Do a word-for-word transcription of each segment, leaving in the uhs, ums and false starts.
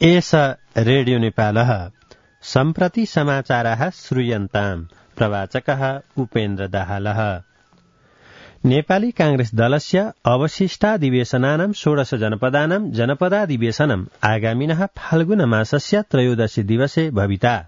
एष रेडियो नेपालः सम्प्रति समाचाराः श्रूयन्ताम्। प्रवाचकः उपेन्द्र दाहालः। नेपाली कांग्रेस दलस्य अवशिष्टाधिवेशनानां षोडश जनपदानां जनपदाधिवेशनम् आगामिनः फाल्गुन मासस्य त्रयोदशी दिवसे भविता।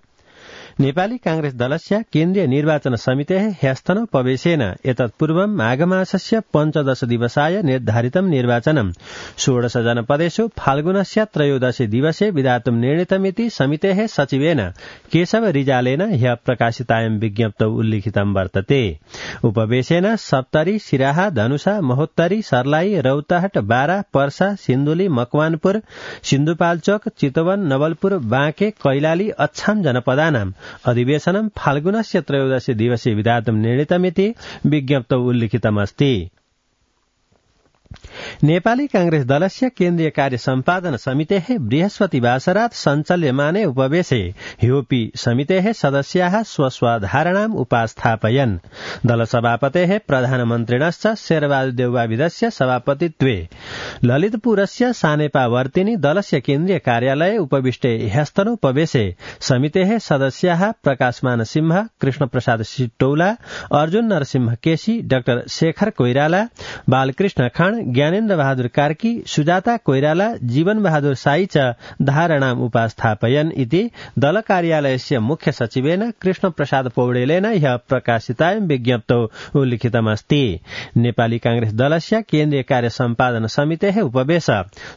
नेपाली कांग्रेस दलस्य केन्द्रीय निर्वाचन समितेः ह्यस्तनोपवेशेन एतत्पूर्वं माघमासस्य पञ्चदश दिवसाय निर्धारितं निर्वाचनं षोडश जनपदेषु फाल्गुनस्य त्रयोदशी दिवसे विधातुं निर्णीतमिति समितेः सचिवेन केशव रिजालेन ह्यः प्रकाशितायां विज्ञप्तौ उल्लिखितं वर्तते। उपवेशेन सप्तरी, सिराहा, धनुषा, महोत्तरी, सर्लाही, रौतहट, बारा, पर्सा, सिन्धुली, मकवानपुर, सिन्धुपाल्चोक, चितवन, नवलपुर, बाँके, कैलाली, अछाम जनपदानां अधिवेशनं फाल्गुनस्य त्रयोदशी दिवसे विधातुं निर्णीतमिति विज्ञप्तौ उल्लिखितमस्ति। नेपाली कांग्रेस दलस्य केन्द्रीय कार्य सम्पादन समितेः बृहस्पतिवासरात् सञ्चाल्यमाने उपवेशे ह्योपि समितेः सदस्याः स्वस्वधारणाम् उपास्थापयन्। दलसभापतेः प्रधानमन्त्रिणश्च शेरबहादुर देउवाविदस्य सभापतित्वे ललितपुरस्य सानेपावर्तिनि दलस्य केन्द्रीय कार्यालये उपविष्टे ह्यस्तनोपवेशे समितेः सदस्याः प्रकाशमान सिंह, कृष्णप्रसाद सिटौला, अर्जुन नरसिंह केसी, डाक्टर शेखर कोइराला, बालकृष्ण खाँड, ज्ञानेन्द्र बहादुर कार्की, सुजाता कोइराला, जीवन बहादुर साई च धारणाम् उपास्थापयन् इति दल कार्यालयस्य मुख्य सचिवेन कृष्ण प्रसाद पौडेलेन ह्यः प्रकाशितायां विज्ञप्तौ उल्लिखितमस्ति। नेपाली कांग्रेस दलस्य केन्द्रीय कार्य सम्पादन समितेः उपवेश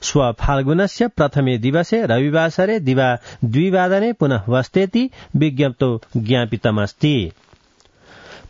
श्व फाल्गुनस्य प्रथमे दिवसे रविवासरे दिवा द्विवादने पुनः बस्तेति विज्ञप्तौ ज्ञापितमस्ति।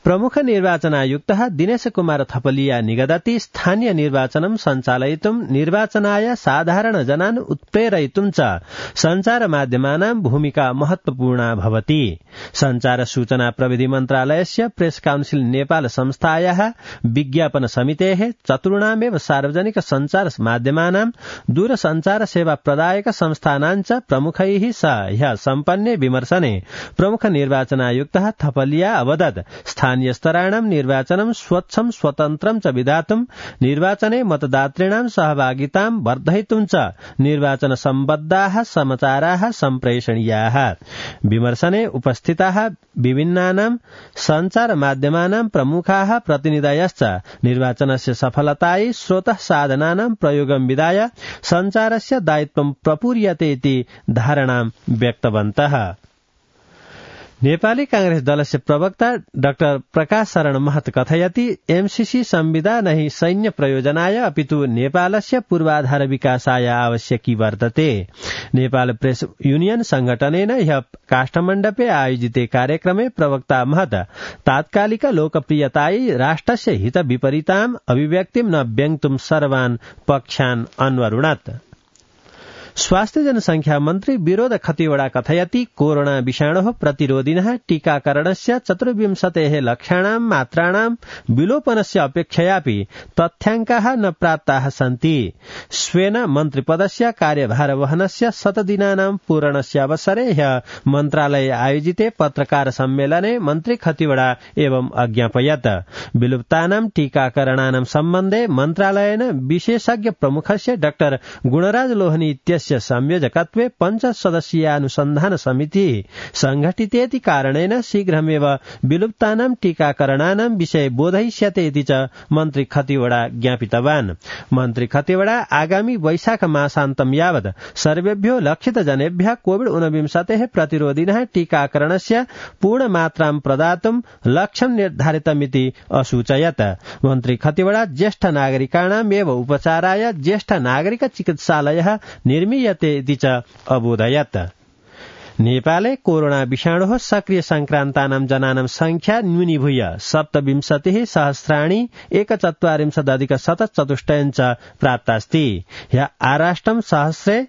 प्रमुख निर्वाचनायुक्तः दिनेश कुमार थपलिया निगदति स्थानीय निर्वाचनं सञ्चालयितुं निर्वाचनाय साधारण जनान् उत्प्रेरयितुं च सञ्चार माध्यमानां भूमिका महत्वपूर्णा भवति। सञ्चार सूचना प्रविधि मन्त्रालयस्य प्रेस काउन्सिल नेपाल संस्थायाः विज्ञापन समितेः चतुर्णामेव सार्वजनिक सञ्चार माध्यमानां दूरसञ्चार सेवा प्रदायक संस्थानां च प्रमुखैः सह ह्यः सम्पन्ने विमर्शने प्रमुख निर्वाचनायुक्तः थपलिया अवदत् स्थानीय स्तराणां निर्वाचनं स्वच्छं स्वतन्त्रं च विधातुं निर्वाचने मतदातॄणां सहभागितां वर्धयितुं च निर्वाचन सम्बद्धाः समाचाराः सम्प्रेषणीयाः। विमर्शने उपस्थिताः विभिन्नानां सञ्चार माध्यमानां प्रमुखाः प्रतिनिधयश्च निर्वाचनस्य सफलतायै स्रोतः साधनानां प्रयोगं विधाय सञ्चारस्य दायित्वं प्रपूर्यते इति धारणां व्यक्तवन्तः। नेपाली कांग्रेस दलस्य प्रवक्ता डाक्टर प्रकाश शरण महत कथयति एमसीसी संविदा नहि सैन्य प्रयोजनाय अपितु नेपालस्य पूर्वाधार विकासाय आवश्यकी वर्तते। नेपाल प्रेस यूनियन संगठनेन ह्यः काष्ठमण्डपे आयोजिते कार्यक्रमे प्रवक्ता महत तात्कालिक लोकप्रियतायै राष्ट्रस्य हित विपरीताम् अभिव्यक्तिं न व्यङ्क्तुं सर्वान् पक्षान् अन्वरुणत्। स्वास्थ्य जनसंख्या मन्त्री विरोध खतिवड़ा कथयति कोरोना विषाणोः प्रतिरोधिनः टीकाकरणस्य चतुर्विंशतेः लक्षाणां मात्राणां विलोपनस्य अपेक्षयापि तथ्याङ्काः न प्राप्ताः सन्ति। स्वेन मन्त्रिपदस्य कार्यभारवहनस्य शतदिनानां पूरणस्य अवसरे ह्यः मन्त्रालये आयोजिते पत्रकार सम्मेलने मन्त्री खतिवड़ा एवं अज्ञापयत्। विलुप्तानां टीकाकरणानां सम्बन्धे मन्त्रालयेन विशेषज्ञ प्रमुखस्य डाक्टर गुणराज लोहनी इत्यस्य संयोजकत्वे पञ्च सदस्यीयानुसन्धान समिति संघटितेति कारणेन शीघ्रमेव विलुप्तानां टीकाकरणानां विषये बोधयिष्यते इति च मन्त्री खतिवड़ा ज्ञापितवान्। मन्त्री खतिवड़ा आगामी वैशाख मासान्तं यावत् सर्वेभ्यो लक्षित जनेभ्यः कोविड ऊनविंशतेः प्रतिरोधिनः टीकाकरणस्य पूर्णमात्रां प्रदातुं लक्ष्यं निर्धारितमिति असूचयत्। मन्त्री खतिवड़ा ज्येष्ठ नागरिकाणाम् एव उपचाराय ज्येष्ठ नागरिक चिकित्सालयः निर्मीयते इति च अबोधयत्। नेपाले कोरोना विषाणोः सक्रिय संक्रान्तानां जनानां संख्या न्यूनीभूय सप्तविंशतिः सहस्राणि एकचत्वारिंशदधिक शतचतुष्टयं च प्राप्तास्ति। ह्यः आराष्ट्रं सहस्रे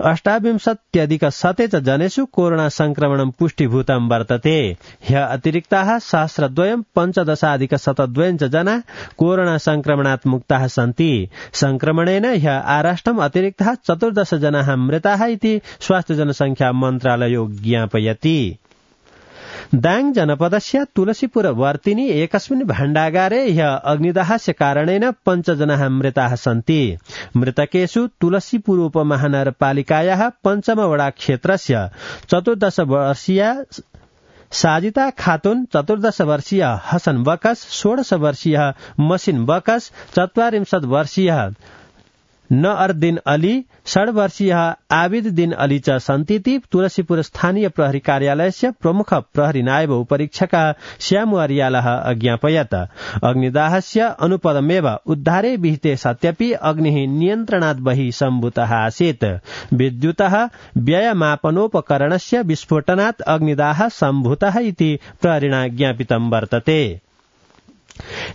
अष्टाविंशत्यधिक शते च जनेषु कोरोना संक्रमणं पुष्टिभूतं वर्तते। ह्यः अतिरिक्ताः सहस्रद्वयं पञ्चदशाधिक शतद्वयं च जना कोरोना संक्रमणात् मुक्ताः सन्ति। संक्रमणेन ह्यः आराष्ट्रम् अतिरिक्ताः चतुर्दश जनाः मृताः इति स्वास्थ्य जनसंख्या मन्त्रालयो ज्ञापयति। दाङ जनपदस्य तुलसीपुर वर्तिनी एकस्मिन् भाण्डागारे ह्य अग्निदाहस्य कारणेन पञ्चजनाः मृताः सन्ति। मृतकेषु तुलसीपुर उपमहानगरपालिकायाः पञ्चमवडा क्षेत्रस्य चतुर्दश वर्षीया साजिता खातुन, चतुर्दश वर्षीय हसन बकस, षोडश वर्षीय मसिन बकस, चत्वारिंशत् वर्षीय नअरदिन अली, षड् वर्षीय आबिददिन अली च सन्ति। तुलसीपुर स्थानीय प्रहरी कार्यालयस्य प्रमुख प्रहरी नायब उपरीक्षक श्याम अर्यालः अज्ञापयत्। अग्निदाहस्य अनुपदमेव उद्धारे विहिते सत्यपि अग्निः नियन्त्रणात् बहिः सम्भूतः आसीत्। विद्युतः व्ययमापनोपकरणस्य विस्फोटनात् अग्निदाहः सम्भूतः इति प्रहरिणा ज्ञापितं वर्तते।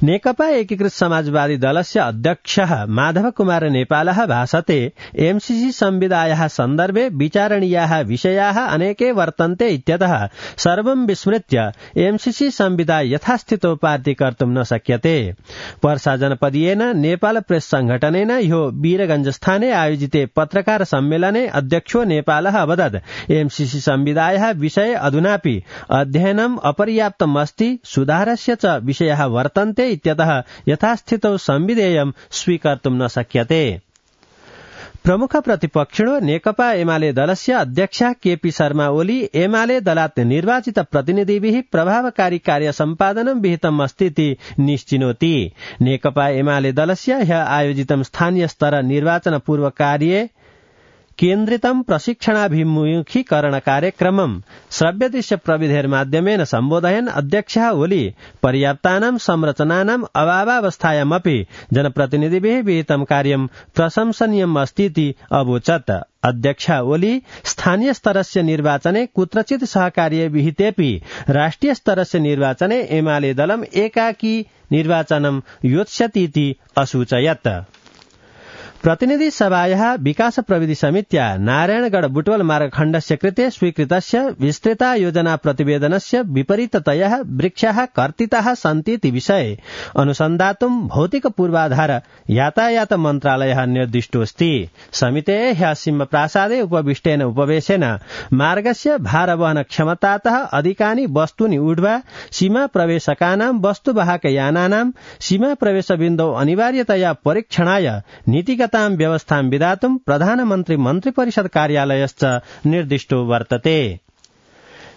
नेकपा एकीकृत समाजवादी दलस्य अध्यक्षः माधव कुमार नेपालः भाषते एमसीसी संविदायाः सन्दर्भे विचारणीयाः विषयाः अनेके वर्तन्ते इत्यतः सर्वं विस्मृत्य एमसीसी संविदा यथास्थितो पार्टी कर्तुं न शक्यते। पर्सा जनपदीयेन नेपाल प्रेस संघटनेन ह्यो वीरगञ्जस्थाने आयोजिते पत्रकार सम्मेलने अध्यक्षो नेपालः अवदत् एमसीसी संविदायाः विषये अधुनापि अध्ययनम् अपर्याप्तम् अस्ति, सुधारस्य च विषयाः वर्तन्ते इत्यतः यथास्थितौ संविधेयं स्वीकर्तुं न शक्यते। प्रमुख प्रतिपक्षिणो नेकपा एमाले दलस्य अध्यक्ष केपी शर्मा ओली एमाले दलात् निर्वाचित प्रतिनिधिभिः प्रभावकारी कार्य सम्पादनं विहितम् अस्तीति निश्चिनोति। नेकपा एमाले दलस्य ह्य आयोजितं स्थानीय स्तर निर्वाचन पूर्व कार्ये केन्द्रितं प्रशिक्षणाभिमुखीकरण कार्यक्रमं श्रव्यदृश्य प्रविधेर्माध्यमेन सम्बोधयन् अध्यक्षः ओली पर्याप्तानां संरचनानाम् अभावावस्थायामपि जनप्रतिनिधिभिः विहितं कार्यं प्रशंसनीयम् अस्तीति अवोचत्। अध्यक्ष ओली स्थानीय स्तरस्य निर्वाचने कुत्रचित् सहकार्ये विहितेपि राष्ट्रिय स्तरस्य निर्वाचने एमाले दलम् एकाकी निर्वाचनं योत्स्यतीति असूचयत्। प्रतिनिधि सभायाः विकास प्रविधि समित्या नारायणगढ़ बुटवल मार्गखण्डस्य कृते स्वीकृतस्य विस्तृता योजना प्रतिवेदनस्य विपरीततयः वृक्षाः कर्तिताः सन्तीति विषये अनुसन्धातुं भौतिक पूर्वाधार यातायात मन्त्रालयः निर्दिष्टोऽस्ति। समितेः ह्यः सिंहप्रासादे उपविष्टेन उपवेशेन मार्गस्य भारवहन क्षमतातः अधिकानि वस्तूनि ऊढ्वा सीमा प्रवेशकानां वस्तुवाहक यानानां सीमा प्रवेश बिन्दौ अनिवार्यतया परीक्षणाय नीतिगत व्यवस्थां विधातुं प्रधानमन्त्री मन्त्रिपरिषद कार्यालयश्च निर्दिष्टो वर्तते।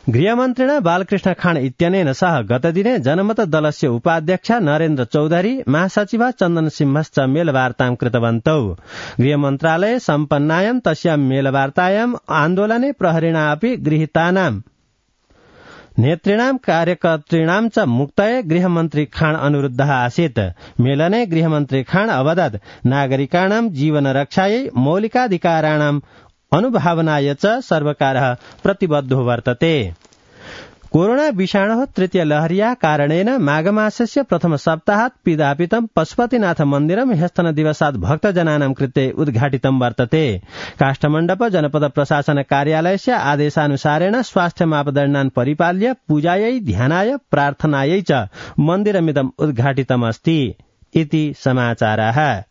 गृहमन्त्रिणा बालकृष्ण खाँड इत्यनेन सह गतदिने जनमत दलस्य उपाध्यक्ष नरेन्द्र चौधरी, महासचिव चन्दन सिंहश्च मेलवार्तां कृतवन्तौ। गृहमन्त्रालये सम्पन्नायां तस्यां मेलवार्तायां आन्दोलने प्रहरिणा अपि गृहीतानां नेतृणां कार्यकर्तॄणां च मुक्तये गृहमन्त्री खाँड अनुरुद्धः आसीत्। मेलने गृहमन्त्री खाँड अवदत् नागरिकाणां जीवन रक्षायै मौलिकाधिकाराणाम् अनुभावनाय च सर्वकारः प्रतिबद्धो वर्तते। कोरोना विषाणोः तृतीय लहर्या कारणेन माघमासस्य प्रथम सप्ताहात् पिधापितं पशुपतिनाथ मन्दिरं ह्यस्तन दिवसात् भक्तजनानां कृते उद्घाटितं वर्तते। काष्ठमण्डप जनपद प्रशासन कार्यालयस्य आदेशानुसारेण स्वास्थ्य मापदण्डान् परिपाल्य पूजायै, ध्यानाय, प्रार्थनायै च मन्दिरमिदम् उद्घाटितमस्ति इति समाचारः।